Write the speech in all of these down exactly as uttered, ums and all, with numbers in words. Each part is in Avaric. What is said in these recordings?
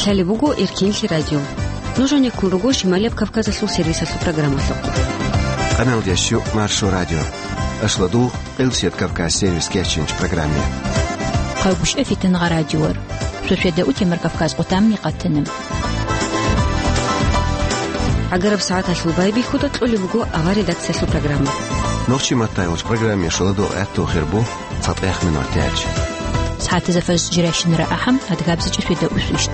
Лъалеб буго Эркенлъи радио. Нуж гьанеккун руго Шималияб Кавказалъул сервисалъул программалъухъ. Къаналдияс щу Маршо радио. Ашлодул, Къилсият Кавказ сервис кечинч программе. ХъавбушӀа фитангъа радиор. Сосведа утемар Кавказ къутамни къатана. ГӀагараб сагӀаталъул байбихьуда кьолеб буго авар редакциялъул программа. Нохчи маттайолч программе шоладо гӀатту хирбу. ЦатӀехъ минут тяч. СагӀатазда фаз жиращинара ахӀам, адгабзичӀ светаусищ.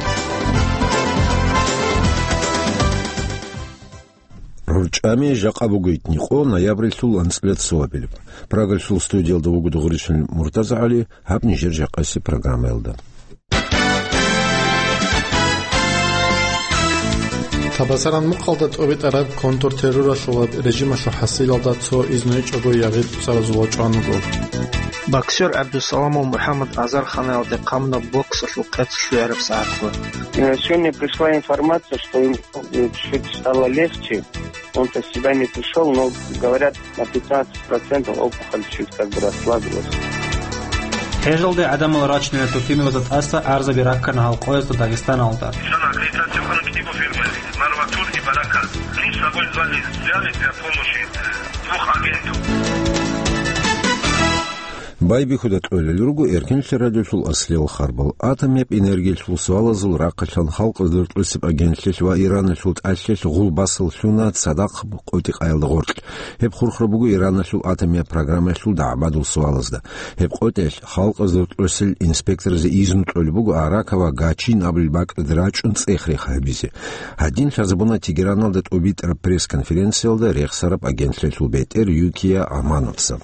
РорчӀами жакъа бугойтни къо ноябрилъул анцӀила цоабилеб. Прагалъул студиялда вуго Дугъричил МуртазагӀали, гьаб нижер жакъаси программаялда. Табасаран мухъалда тӀобитӀараб контртерроралъулаб режималъул хӀасилалда цо изнугьечӀого ягъи цӀаразул вачӀван вуго. Боксер ГӀабдусаламов МухӀаммад Азарханаялде хъамуна боксалъул къецалъугӀараб сагӀатго. Э, сегодня пришла информация, что ему, э, чуть стало легче. Он-то в себя не пришёл, но, говорят, на пятнадцать процентов опухоль чуть как бы расслабилась. ХӀежалде гӀадамал рачунел тутимилазда тӀаса гӀарзаби раккана гьал къоязда Дагъистаналда. Инсан аккредитация вахана кӀиго фирмаялъе, Марватур и Барака. Они с собой взяли, взяли для помощи двух агентов. Байбихьуда кьолел руго Эркенлъи радиолъул аслияб харбал. Атомияб энергиялъул суалазул рахъалъан халкъалъ дуртӀусеб агентлъилъ ва Ираналъул тӀалъилъ гъул басал лъуна цадахъ къотӀи-къаялда гъоркь. Гьеб хурхараб буго Ираналъул атомияб программаялъул дагӀбадул суалазда. Гьеб къотӀиялъ халкъалъ дуртӀусел инспекторазе изну кьолеб буго Аракава Гачин абулеб бакӀалда рачӀун цӀех-рех гьабизе. Гьадин лъазабуна Тегераналда тӀубитӀараб пресс-конференциялда рехсараб агентлъилъул бетӀер Юкия Амановца.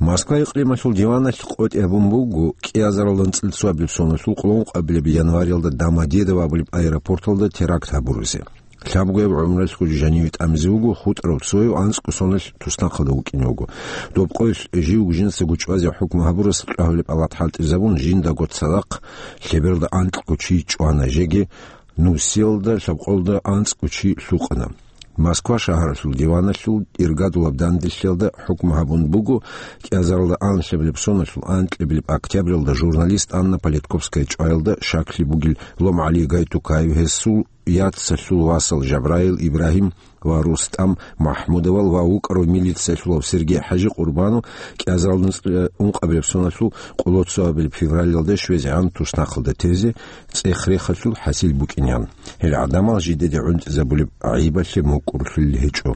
Москва икълималъул диваналъ къотӀи гьабун буго кӀиазарал анцӀил цоабилеб соналъул къуллун къабилеб январалда Домодедово абулеб аэропорталда теракт гьабуразе. Лъабгояб гӀумралъго жаниве тӀамизе вуго хутӀарав цояв анцӀго соналъ туснахъалда вукӀине вуго. Доб къоялъ живго жинца гучӀвазе хӀукму гьабурас кьвагьулеб палат хӀалтӀизабун, жиндаго цадахъ лъебералда анкьго чи чӀвана, жеги нусиялда лъабкъолда анцӀго чи лъукъана. Москва шагьаралъул диваналъул иргадулаб данделъиялда хӀукму гьабун буго кӀиазаралда анлъабилеб соналъул анкьабилеб октябралда журналист Анна Политковская чӀваялда щаклъи бугел Ломгьали Гайтукаев, гьесул яцалъул васал Жабраил, Ибрагьим ва Рустам Махмудовал ва вукӀарав милициялъулав Сергей ХӀажи Къурбанов кӀиазаралда ункъабилеб соналъул къоло цоабилеб февралалда щвезегӀан туснахъалда тезе цӀех-рехалъул хӀасил букӀинегӀан. Гьел гӀадамал жидеде гӀунтӀизабулеб гӀайибалъе мукӀурлъулел гьечӀо.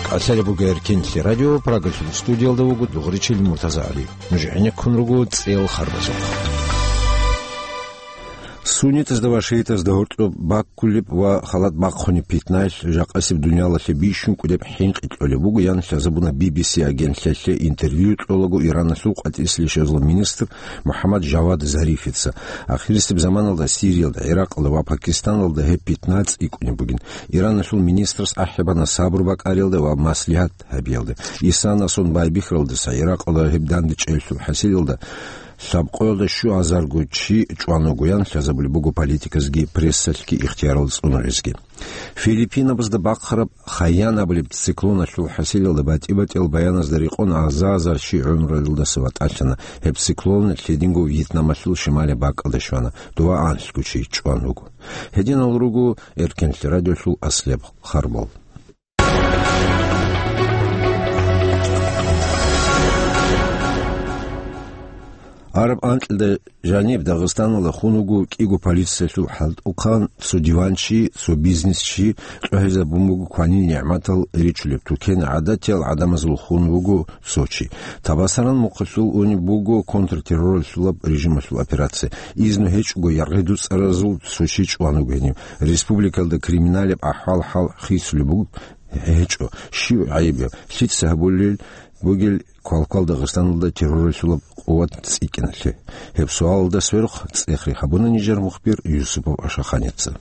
КӀалъалеб буго Эркенлъи радио, Прагалъул студиялда вуго Дугъричил МуртазагӀали. Нуж гӀенеккун руго цӀел харбазухъ. Суннитазда ва шиитазда гьоркьоб баккулеб ва халат бахъунеб питнаялъ жакъасеб дуниялалъе бищун кӀудеб хӀинкъи кьолеб буго, ян лъазабуна Би Би Си агентлъиялъе интервью кьолаго Ираналъул къватӀислъи щвезал министр МухӀаммад Жавад Зарифица. Ахирисеб заманалда Сириялда, ГӀиракъалда ва Пакистаналда гьеб питна цӀикӀкӀунеб бугин. Ираналъул министрас ахӀи бана сабур бакӀариялда ва маслигьат гьабиялда. Исанасон байбихьаралдаса ГӀиракъалда гьеб дандечӀеллъул хӀасилалда лъабкъоялда щуазарго чи чӀван вуго, ян лъазабулеб буго политиказги прессалъги ихтиярал цӀунулезги. Филиппинабазда бахъараб Хайян абулеб циклоналъул хӀасилалда батӀи-батӀиял баяназда рекъон аза-азар чи гӀумруялдаса ватӀалъана. Гьеб циклон лъединго Вьетнамалъул шималияб бакӀалда щвана, дова анлъго чи чӀван вуго. Гьединал руго Эркенлъи радиолъул аслияб харбал. Араб анкьида жаниб Дагъистаналда хун вуго кӀиго полициялъул хӀалтӀухъан, цо диванчи, цо бизнесчи, кьвагьизабун буго кванил нигӀматал ричулеб тукена, гӀадатиял гӀадамазул хун вуго цо чи. Табасаран мухъалъул унеб буго контртерроралъулаб режималъул операция. Изну гьечӀого яргъи дуцӀаразул цо чи чӀван вуго гьенив. Республикалда криминалеб ахӀвал-хӀал хисулеб буго гьечӀо, щив гӀайиб гьаб, лъица гьабулел бугел квалквал Дагъистаналда терроралъулаб къуват цӀикӀкӀиналъе? Гьеб суалалда сверухъ цӀех-рех гьабуна нижер мухбир Юсупов Ашаханица.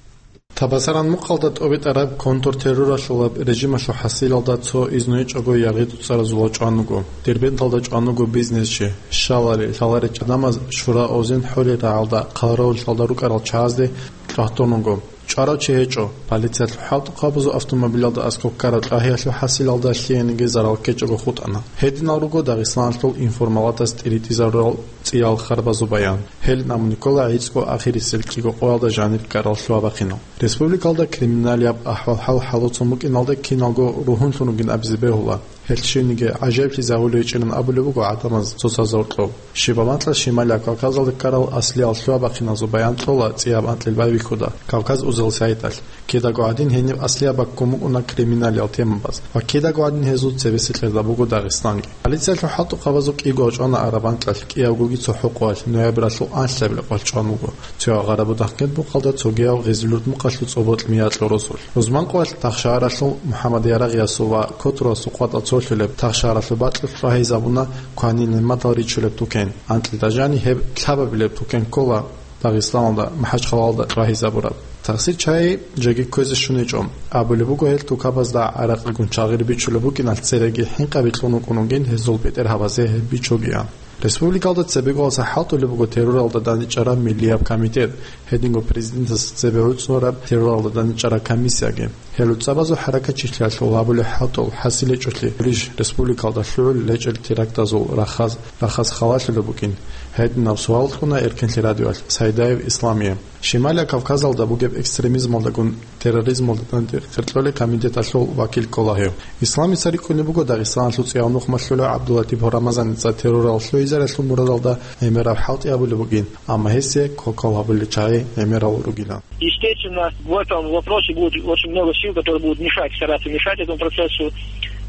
Табасаран мухъалда тӀобитӀараб контртерроралъулаб режималъул хӀасилалда цо изнугьечӀого яргъи дуцӀаразул вачӀван вуго. Дербенталда чӀван вуго бизнесчи, щалари, лъаларичӀ гӀадамаз Шура Озен хӀурил рагӀалда хъаравуллъалда рукӀарал чагӀазде тӀагьтун вуго. ЧӀварав чи гьечӀо. Полициялъул хӀалтӀухъабазул автомобилалда аскӀоб ккараб кьвагьиялъул хӀасилалда лъиениги зарал ккечӀого хутӀана. Гьединал руго Дагъистаналъул информалатас тӀиритӀизарурал цӀиял харбазул баян. Гьелин абун ккола гӀицӀго ахирисел кӀиго къоялда жанир ккарал лъугьа-бахъинал. Республикалда криминалияб ахӀвал-хӀал хӀалуцун букӀиналда киналго ругьунлъун ругин абизе бегьула. Гьелъ щивниги гӀажаиблъизе гьавулев гьечӀилан абулеб буго гӀадамаз цоцазда гьоркьоб. Щибаб анкьа Шималияб Кавказалда ккарал аслиял лъугьа-бахъиназул баян кьола цӀияб анкьил байбихьуда Кавказ узел сайталъ. Кидаго гьадин гьениб аслияб баккун букӀуна криминалиял темабаз ва кидаго гьадин гьезул цебесеб кьерда буго Дагъистанги. Полициялъул хӀалтӀухъабазул кӀиго гьоркьана араб анкьалъ кӀиябгоги цохӀо къоялъ ноябралъул анлъабилеб къоялъ чӀван вуго. Цо агъараб дагъкед бухъалда цогияв гъезулурд мукъалъул цӀоботӀ миятьлъул росулъ. Рузман къоялъ Тахшагьаралъул МухӀаммад Ярагъиясул ва Котурасул къватӀа цолъулеб Тахшагьаралъул бакьулъ чӀвагьизабуна кванин нигӀматал ричулеб тукен. Анкьида жани гьеб лъабабилеб тукен ккола Дагъистаналда, МахӀачхъалалда чӀвагьизабураб. Тахсир чагӀи жеги кквезе щун гьечӀо. Абулеб буго, гьел тукабазда гӀаракъигун чагъир бичулеб букӀиналъ цереги хӀинкъаби кьун вукӀун вугин гьезул бетӀергьабазе гьеб бичогиян. Республикалда цебеголаса хӀалтӀулеб буго терроралда дандчӀвараб миллияб комитет, гьединго президентас цебе гӀуцӀараб терроралда дандчӀвараб комиссияги. Гьел цӀабазул хӀаракатчилъиялъул гьабулеб хӀалтӀул хӀасил гьечӀолъи гурищ республикалда лъугӀул гьечӀел терактазул рахаз, рахаз халалъулеб букӀин? Гьединаб суал кьуна Эркенлъи радиоялъ Сайдаев Исламие. Шималия Кавказалда бугеб экстремизмалдагун терроризмалда данде хиркьолеб комитеталъул вакил ккола гьев. Исламица рикӀкӀунеб буго Дагъистаналъул цӀияв нухмалъулев ГӀабдулатипов Рамазаница террорал лъугӀизариялъул мурадалда гӀемераб хӀалтӀи гьабулеб бугин, амма гьесие кокал гьабулел чагӀи гӀемерал ругилан. Естественно, в этом вопросе будет очень много сил, которые будут мешать, стараться мешать этому процессу.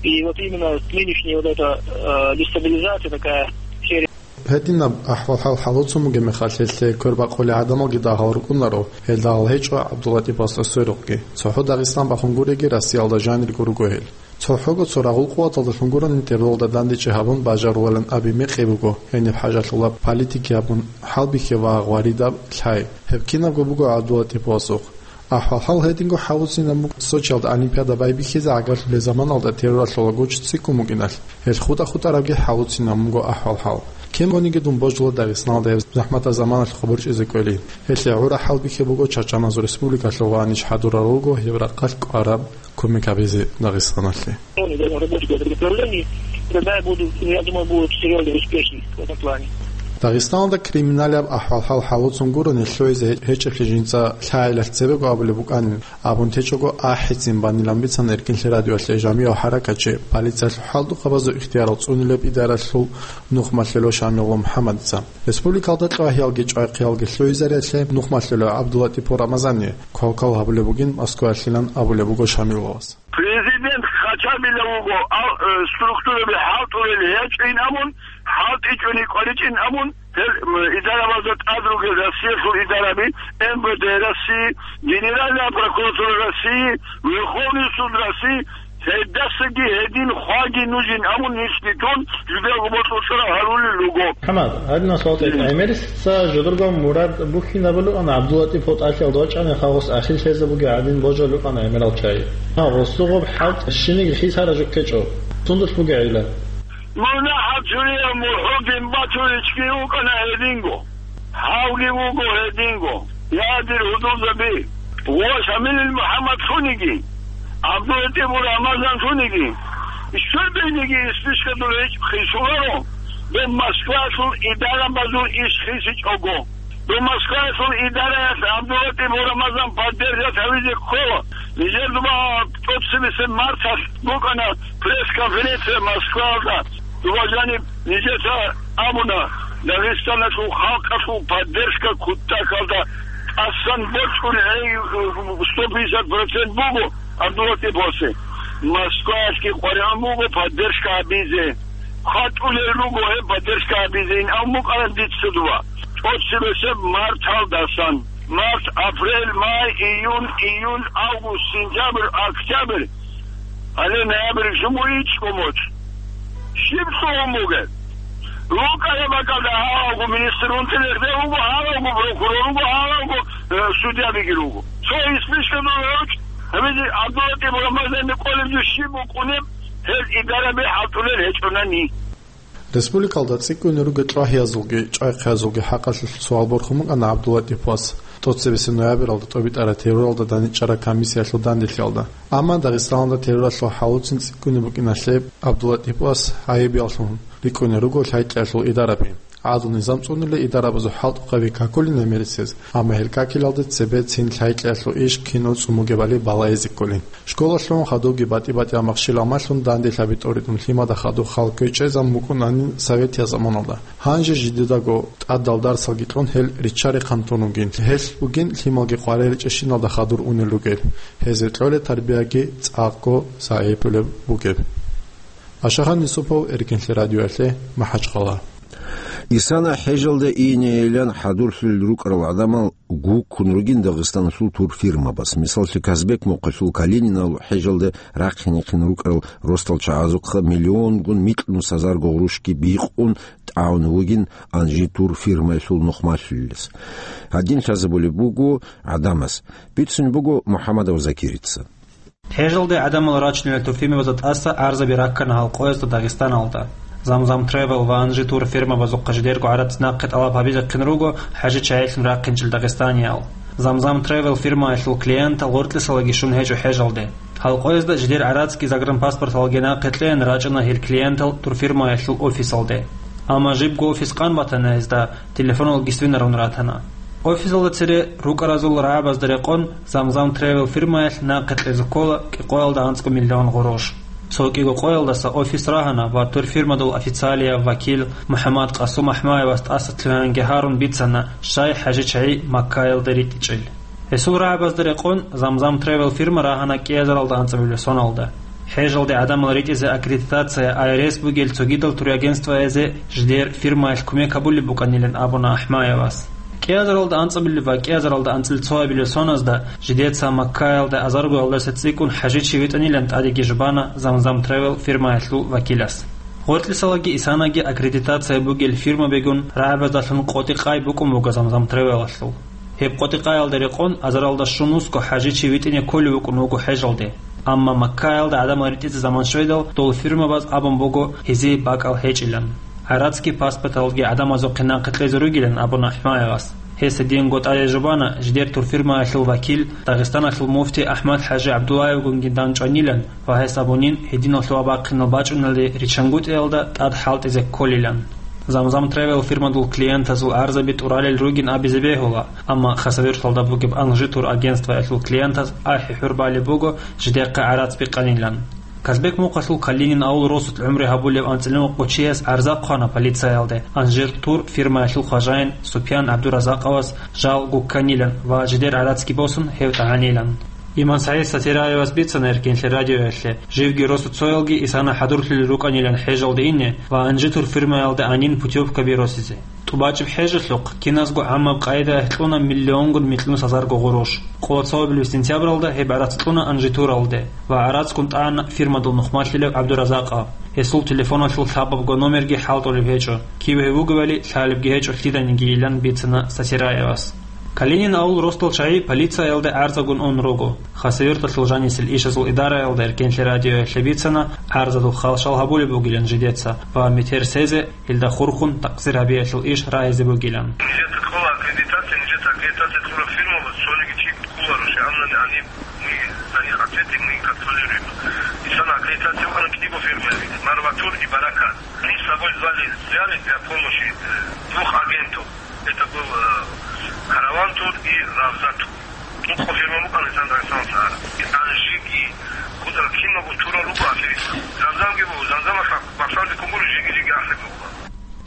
И вот именно нынешняя вот эта, э, дестабилизация такая, серия. Гьединаб ахӀвал-хӀал хӀалуцун бугеб мехалъ, гьелъе квербакъулел гӀадамалги дагьал рукӀунаро, гьел дагьал гьечӀо ГӀабдулатипасда сверухъги. ЦохӀо Дагъистан бахун гуреги, Россиялда жанирго руго гьел. ЦохӀого цо рагъул къуваталдалъун гурони терроралда дандечӀи гьабун бажаруларин аби мекъи буго, гьениб хӀажалъулаб политики гьабун хӀалбихье ва гъваридаб лъай. Гьеб кинабго буго ГӀабдулатипасухъ. АхӀвал-хӀал гьединго хӀалуцинаб буго Сочиялда Олимпиада байбихьизе гӀагарлъулел заманалда терроралъул гуч цӀикӀкӀун букӀиналъ. Гьел хутӀа-хутӀарабги хӀалуцинаб буго ахӀвал-хӀал. Кинабниги дун божула Дагъистаналда гьеб захӀматаб заманалъ хабурчӀизе кӀвелин. Гьелъие гӀура хӀалбихьи буго ЧачӀаназул Республикалъул ва ниж хӀадурал руго гьеб рахъалъ кӀвараб кумек гьабизе Дагъистаналъе. Они должны работать в этом направлении, тогда я буду, я думаю, будут серьёзно успешны в этом плане. Дагъистаналда криминалияб ахӀвал-хӀал хӀалуцун гурони лъугӀизе гьечӀеблъи жинца лъагӀелалъ цебего абулеб букӀанин абун течӀого ахӀицин банилан бицана Эркинлъи радиоялъе жамигӀав хӀаракатчи, полициялъул хӀалтӀухъабазул ихтиярал цӀунилеб идаралъул нухмалъулев Шамилов МухӀаммадица. Республикалда кьвагьиялги чӀвайхъиялги лъугӀизариялъе нухмалъулев ГӀабдулатипов Рамазанни квалквал гьабулеб бугин Москваялъилан абулеб буго Шамиловас. Президент хъачабила вуго, ал-, э, структураби хӀалтӀулел гьечӀин абун, хӀалтӀичӀони кӀваричӀин абун, гьел, м, идарабазда тӀад ругел Россиялъул идараби, М В Д России, Генеральная прокуратура России, Верховный суд России, гьелдасаги гьедин хваги нужин абун нилъги тун, жидерго бокьулъараб гьарулел руго. МухӀаммад, гьадинаб суал тӀе-, гӀемерисеца жодорго мурад бухьинабулеб ана ГӀабдулатипов тӀалъиялда вачӀани хагъус ахир лъезе бугеб гӀадин божулеб ана гӀемерал чагӀи. Гьа, гъосул гъоб хӀалтӀ щиниги хисара жо ккечӀо. Сундулъ бугеб гӀилла? МунагьалчӀурияв МухӀудин Батуричги вукӀана гьединго. Гьавги вуго гьединго. Я, дир гьудулзаби, ва Шамилил МухӀаммад лъуниги, ГӀабдулатипов Рамазан лъуниги, щибниги исбишкадул гьечӀ хисуларо, доб Москваялъул идарабазул иш хисичӀого. Доб Москваялъул идараялъ ГӀабдулатипов Рамазан поддержать гьавизе ккола. Нижер дуба тӀоцебесеб марталъ букӀана пресс-конференция Москваялда. Дуба жаниб нижеца абуна, Дагъистаналъул халкъалъул поддержка кутакалда тӀасан бокьун гьей сто пятьдесят процент буго ГӀабдулатипасде. Москваялъги къваригӀун буго поддержка гьабизе. ХъатӀулел руго гьеб поддержка гьабизе, ин абун букӀана дица дуба. ТӀоцебесеб марталдасан. Март, апрель, май, июнь, июль, август, сентябрь, октябрь. Гьале ноябрь жумугьичӀго моцӀ. Щиб лъугьун бугеб? РукӀараб бакӀалда гьалавго министр унтилерде вуго, гьалавго прокурор вуго, гьалавго, э, судьябиги руго. Цо исбишкадул гьечӀ, гьабизе ГӀабдулатипов Рамазанни кӀолеб жо щиб букӀунеб, гьел идараби хӀалтӀулел гьечӀонани. Республикалда цӀикӀкӀуне ругел кьвагьиязулги чӀвайхъиязулги хӀакъалъулъ суал борхун букӀана ГӀабдулатипас. тӀоцебесеб ноябралда тӀобитӀараб терроралда дандчӀвараб комиссиялъул данделъиялда. Амма Дагъистаналда терроралъул хӀалуцин цӀикӀкӀунеб букӀиналъе ГӀабдуллатӀиповас гӀайибияллъун рикӀкӀунел руго лъай-кьеялъул идарабги. ГӀадлу-низам цӀунила идарабазул хӀалтӀухъаби какулин гӀемерисез, амма гьел какилалде цебе цин лъай-кьеялъул иш кинав цӀун бугебали балагьизе кколин. Школалъун хадубги батӀи-батӀиял махщел-амалъун данделъаби тӀоритӀун лъимада хадуб хал ккечӀезабун букӀунанин советиял заманалда. Гьанже жидедаго тӀадал дарсалги кьун гьел риччари хъантун ругин, гьелъ бугин лъималги къваригӀел чӀищиналда хадур унел ругел, гьезие кьолеб тарбияги цӀакъго загӀипулеб бугеб. Ашагьан Юсупов, Эркенлъи радиоялъе, МахӀачхъала. Исана хӀежалде инейилан хӀадурлъулел рукӀарал гӀадамал гуккун ругин Дагъистаналъул турфирмабаз. Мисаллъи, Казбек мухъалъул Калининал хӀежалде рахъинехъин рукӀарал росдал чагӀазухъа миллионгун микьнусазарго гъурущги бикъун тӀагӀун вугин Анжи турфирмаялъул нухмалъулелъ. Гьадин лъазабулеб буго гӀадамаз. Бицун буго МухӀамадов Закирица. ХӀежалде гӀадамал рачунел турфирмабазда тӀаса гӀарзаби раккана гьал къоязда Дагъистаналда. Замзам Тревел ва Анжи Тур фирмабазухъа жидерго гӀарац нахъе тӀалаб гьабизехъин руго хӀажи чагӀилъун рахъинчӀел дагъистаниял. Замзам Тревел фирмаялъул клиентал гъоркьисалаги щун гьечӀо хӀежалде. Гьал къоязда жидер гӀарацги загранпаспорталги нахъе кьеян рачӀана гьел клиентал турфирмаялъул офисалде. Амма жибго офис къан батана гьезда, телефоналги свинарун ратана. Офисалда цере рукӀаразул рагӀабазда рекъон Замзам Тревел фирмаялъ нахъе кьезе ккола кӀикъоялда анцӀго миллион гъурущ. Цо кӀиго къоялдаса офис рагьана ва турфирмадул официалияв вакил МухӀаммад Къасум АхӀмаевас тӀаса лъугьанги гьарун бицана щай хӀажи чагӀи Маккаялда ритӀичӀел. Гьесул рагӀабазда рекъон Замзам Тревел фирма рагьана кӀиазаралда анцӀабилеб соналда. ХӀежалде гӀадамал ритӀизе аккредитация, АРС бугел цогидал турагентствоязе жидер фирмаялъ кумек гьабулеб букӀанилан абуна АхӀмаевас. КӀиазаралда анцӀабилеб ва кӀиазаралда анцӀил цоабилеб соназда жидеца Маккаялда азаргоялдаса цӀикӀкӀун хӀажичи витӀанилан тӀадеги жубана Замзам Тревел фирмаялъул вакилас. Гъоркьисалаги Исанаги аккредитация бугел фирмабигун рагӀабаздалъун къотӀи-къай букӀун буго Замзам Тревелалъул. Гьеб къотӀи-къаялда рекъон азаралда щун вусго хӀажичи витӀине кколев вукӀун вуго хӀежалде. Амма Маккаялда гӀадамал ритӀизе заман щведал, дол фирмабаз абун буго гьезие бакӀал гьечӀилан. ГӀарацги паспорталги гӀадамазухъе нахъе кьезе ругилан абуна АхӀмаевас. Гьес гьединго тӀаде жубана жидер турфирмаялъул вакил, Дагъистаналъул муфти АхӀмад-хӀажи ГӀабдуллаевгунги дандчӀванилан ва гьес абунин гьединал лъугьа-бахъинал бачӀуналде риччангутӀиялда тӀад хӀалтӀизе кколилан. Замзам Тревел фирмадул клиентазул гӀарзаби тӀуралел ругин абизе бегьула, амма Хасавюрталда бугеб Анжи турагентствоялъул клиентаз ахӀи-хӀур балеб буго жидехъе гӀарац бикъанилан. Казбек мухъалъул Калинин авул росулъ гӀумру гьабулев анцӀила нухъго чияс гӀарза хъвана полициялде Анжи тур фирмаялъул хважаин Супьян ГӀабдуразакъовас жал гукканилан ва жидер гӀарацги босун гьев тӀагӀанилан. Иман СагӀид Сатираевас бицана Эркенлъи радиоялъе, живги росу цоялги Исана хӀадурлъулел рукӀанилан хӀежалде ине ва Анжи тур фирмаялде анин путёвкаби росизе. ТӀубачӀеб хӀежалъухъ киназго гӀаммаб къайдаялъ кьуна миллионгун микьнусазарго гъурущ. Къоло цоабилеб сентябралда гьеб гӀарац кьуна Анжи туралде ва гӀарацгун тӀана фирмадул нухмалъилев ГӀабдуразакъав. Гьесул телефоналъул лъабабго номерги хӀалтӀулеб гьечӀо, кив гьев вугевали лъалебги гьечӀо лъиданиги, илан бицана Сатираевас. Калинин авул росдал чагӀи полициялде гӀарзагун ун руго. Хасавюрталъул жанисел ишазул идараялда Эркенлъи радиоялъе бицана гӀарзадул халщал гьабулеб бугилан жидеца ва метер сезе, гьелда хурхун такъсир гьабиялъул иш рагьизе бугилан. Нижеца кьола аккредитация, нижеца аккредитация кьураб фирмабаз цониги чи кколаро, щай гьанна гьаниб мы за них ответим, мы их контролируем. Исана аккредитация вукӀана кӀиго фирмаялъе, Марватур и Баракат. Они с собой звали, взяли для помощи двух агентов. Это был, э, Караван тур и Равза тур. Нухъа фирма букӀана Александр Александрович Сагара. Анжиги, кутӀа кинабго турал руго аферист. Замзамги буго, Замзамалъ бахшалде кумбур жиги-жиги ахӀи буго.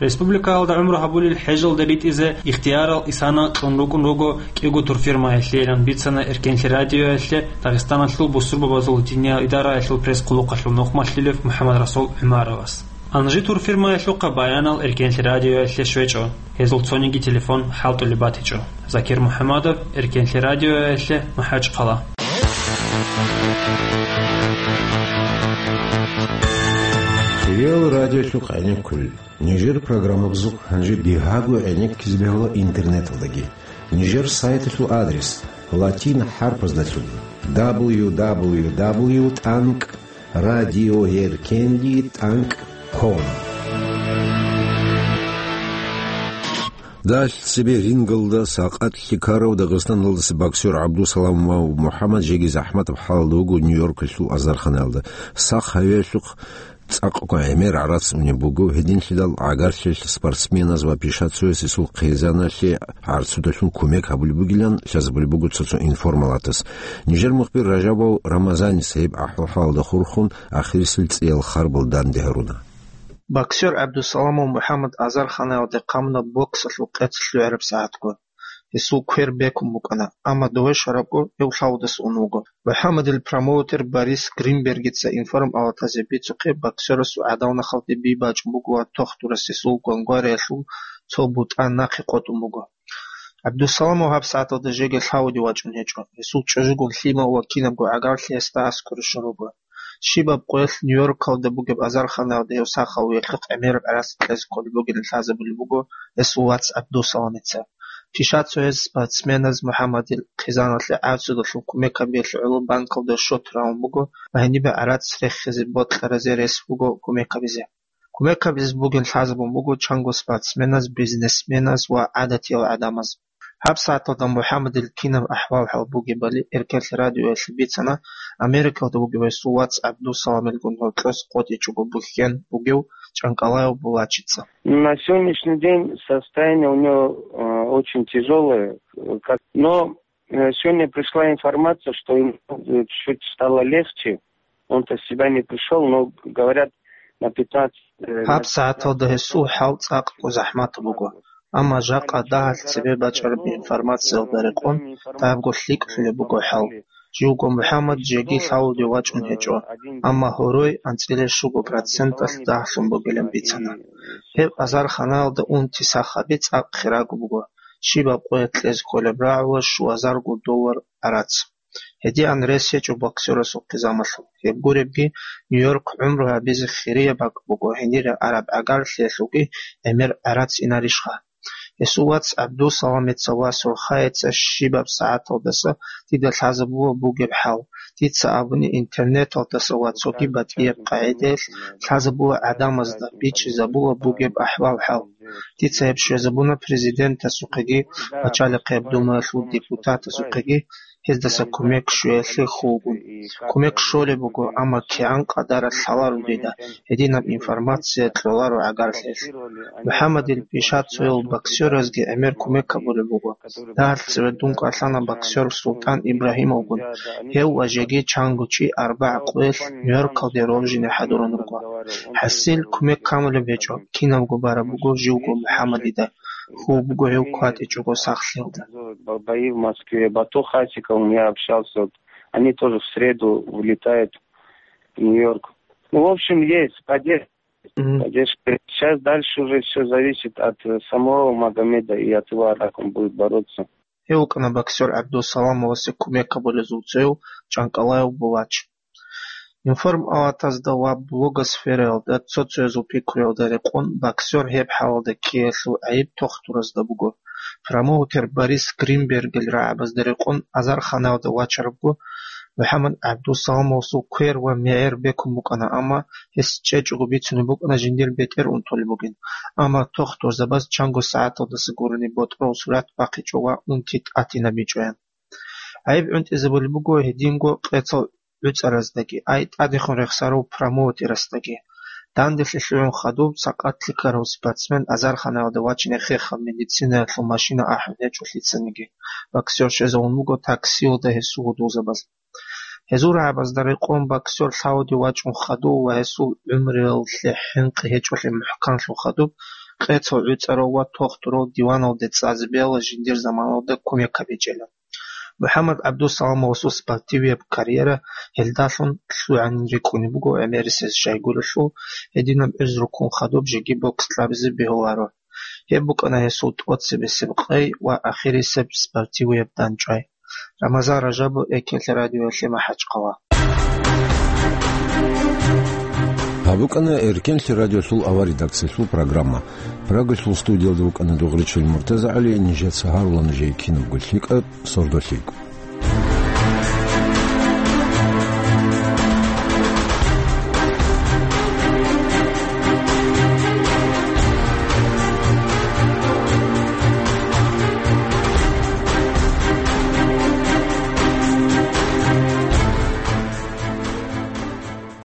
Республикаялда гӀумру гьабулел хӀежалде ритӀизе ихтиярал Исана кьун рукӀун руго кӀиго турфирмаялъейилан бицана Эркенлъи радиоялъе Дагъистаналъул бусурбабазул диниял идараялъул пресс-хъулухъалъул нухмалъилев МухӀаммадрасул ГӀумаровас. Анжи турфирмаялъухъа баянал Эркенлъи радиоялъе щвечӀо. Гьезул цониги телефон хӀалтӀулеб батичӀо. Закир МухӀаммадов, Эркенлъи радиоялъе, МахӀачхъала. Кирил радиолъухъ гӀенеккулел. Нижер программабазухъ гьанже бигьаго гӀенеккизе бегьула интернеталдаги. Нижер сайталъул адрес латин хӀарпаздалъун: дабл ю дабл ю дабл ю тӀанкӀ радиоэркенлъи тӀанкӀ ком. Дагьалъ цебе рингалда сакъат лъикарав Дагъистаналдаса боксер ГӀабдусаламов МухӀаммад жеги захӀматаб хӀалалда вуго Нью-Йоркалъул азарханаялда. Сах гьавиялъухъ цӀакъго гӀемер гӀарац унеб буго, гьединлъидал гӀагарлъиялъ спортсменаз ва пишацояс гьесул хъизаналъе гӀарцудалъун кумек гьабулеб бугилан лъазабулеб буго цо-цо информалатас. Нижер мухбир Ражабов Рамазанис гьеб ахӀвал-хӀалалда хурхун, ахирисел цӀиял харбал данде гьаруна. Боксер ГӀабдусаламов МухӀаммад азарханаялде хъамуна боксалъул къец лъугӀараб сагӀатго. Гьесул квер бекун букӀана, амма дове шарабго гьев лъавудас ун вуго. МухӀаммадил промоутер Борис Гринбергица информалатазе бицухъе, боксерасул гӀадамал-нахалде би бачӀун буго ва тохтурас гьесул гвангвариялъул цо бутӀа нахъе къотӀун буго. ГӀабдусаламов гьаб сагӀаталда жеги лъавуде вачӀун гьечӀо. Гьесул чӀужугун лъимал ва кинабго гӀагарлъи гьесда аскӀоре щун руго. Щибаб къоялъ Нью-Йоркалда бугеб азарханаялда гьев сахав гьелъухъ гӀемераб гӀарац кьезе кколеб бугилан лъазабулеб буго гьесул вац ГӀабдусаламица. Пишацояс спортсменаз МухӀаммадил хъизаналъе гӀарцудалъун кумек гьабиялъе гӀоло банкалда счет рагьун буго ва гьенибе гӀарац рехизе бокьаразе рес буго кумек гьабизе. Кумек гьабизе бугин лъазабун буго чанго спортсменаз, бизнесменаз ва гӀадатиял гӀадамаз. Гьаб сагӀаталда МухӀаммадил кинаб ахӀвал-хӀал бугебали Эркенлъи радиоялъе бицана Америкалда бугев гьесул вац ГӀабдусаламилгун гьоркьос къотӀичӀого бухьен бугев ЧӀанкӀалаев Булачица. На сегодняшний день состояние у него, э, очень тяжелое, э, как, но, э, сегодня пришла информация, что ему, э, чуть стало легче. Он-то в себя не пришёл, но говорят, на пятнадцать, э, Гьаб на сагӀаталда гьесул хӀал цӀакъго захӀмат буго, амма жакъа дагьалъ цебе бачӀараб информациялда рекъон дагьабго лъикӀлъулеб буго хӀал. Живго МухӀаммад жеги лъавуде вачӀун гьечӀо, амма гьорой анцӀила щуго проценталъ дагьлъун бугилан бицана. Гьеб азарханаялда унти сахаби цӀакъ хираг буго, щибаб къоялъ кьезе кколеб рагӀула щуазарго доллар гӀарац. Гьедин рес гьечӀо боксерасул хъизамалъул. Гьеб гуребги, Нью-Йорк гӀумру гьабизе хирияб бакӀ буго, гьенире араб гӀагарлъиялъулги гӀемер гӀарац инарищха? Гьесул вац ГӀабдусаламица ва Сурхаица щибаб сагӀаталдаса дида лъазабула бугеб хӀал. Дица абуни интернеталдаса ва цоги батӀияб къагӀидаялъ лъазабула гӀадамазда, бичӀчӀизабула бугеб ахӀвал-хӀал. Дица гьеб щвезабуна президентасухъеги, начальнихъеб думаялъул депутатасухъеги, гьездаса кумек щвеялъе хьулгун. Кумек щолеб буго, амма кигӀан къадаралъ лъаларун дида, гьединаб информация кьоларо гӀагарлъиялъ. МухӀаммадил пишацоял боксеразги гӀемер кумек гьабулеб буго. Дагьалъ цеве дун кӀварлъана боксер Султан Ибрагьимовгун, гьев ва жеги чанго чи арбагӀ къоялъ Нью-Йоркалде роржине хӀадурун руго. ХӀасил кумек камулеб гьечӀо, кинабго бараб буго живго МухӀаммадида. Хьул буго гьев кватӀичӀого сахлъиялда. Бо-, бои в Москве, Бату Хасиков, я общался, вот, они тоже в среду улетают в Нью-Йорк. Ну, в общем, есть поддержка. Мгм. Поддержка. Сейчас дальше уже всё зависит от, э, самого Магомеда и от его, как он будет бороться. Гьев вукӀана боксер ГӀабдусаламовасе кумек гьабулезул цояв ЧӀанкӀалаев Булач. Информалатазда ва блогосфераялда цо-цоязул пикруялда рекъон, боксер гьеб хӀалалда ккеялъул гӀайиб тохтуразда буго. Промоутер Борис Гринбергил рагӀабазда рекъон азарханаялда вачарабго, МухӀаммад ГӀабдусаламовасул квер ва мегӀер бекун букӀана, амма гьес чӀечӀого бицунеб букӀана жиндир бетӀер унтулеб бугин, амма тохтурзабаз чанго сагӀаталдаса гурони ботӀрол сурат бахъичӀо ва унти тӀатинабичӀоян. ГӀайиб гӀунтӀизабулеб буго гьединго къецал гӀуцӀараздаги, ай тӀадехун рехсарав промоутерасдаги. Данделъи лъугӀун хадуб, сакъатлъи ккарав спортсмен азарханаялда вачине хехаб медицинаялъул машина ахӀун гьечӀо лъицаниги. Боксер щвезавун вуго таксиялда гьесул гьудулзабаз. Гьезул рагӀабазда рекъон боксер лъавуде вачӀун хадув ва гьесул гӀумруялъе хӀинкъи гьечӀолъи мухӀканлъун хадуб, къецал гӀуцӀарав ва тохтурав диваналде цӀазе бегьула жиндир заманалда кумек гьабичӀела. МухӀаммад ГӀабдусаламовасул спортивияб карьера гьелдалъун лъугӀанин рикӀкӀунеб буго гӀемерисез щайгурелъул, гьединаб гӀузру ккун хадуб жеги бокс кьабизе бегьуларо. Гьеб букӀана гьесул тӀоцебесеб къай ва ахирисеб спортивияб дандчӀвай. Рамазан Ражабов, Экелъ радиоялъе, МахӀачхъала. Гьаб букӀана Эркенлъи радиолъул авар редакциялъул программа. Прагалъул студиялда вукӀана Дугъричил МуртазагӀали, нижеца гьарула нужее кинабго лъикӀаб, сордо лъикӀ.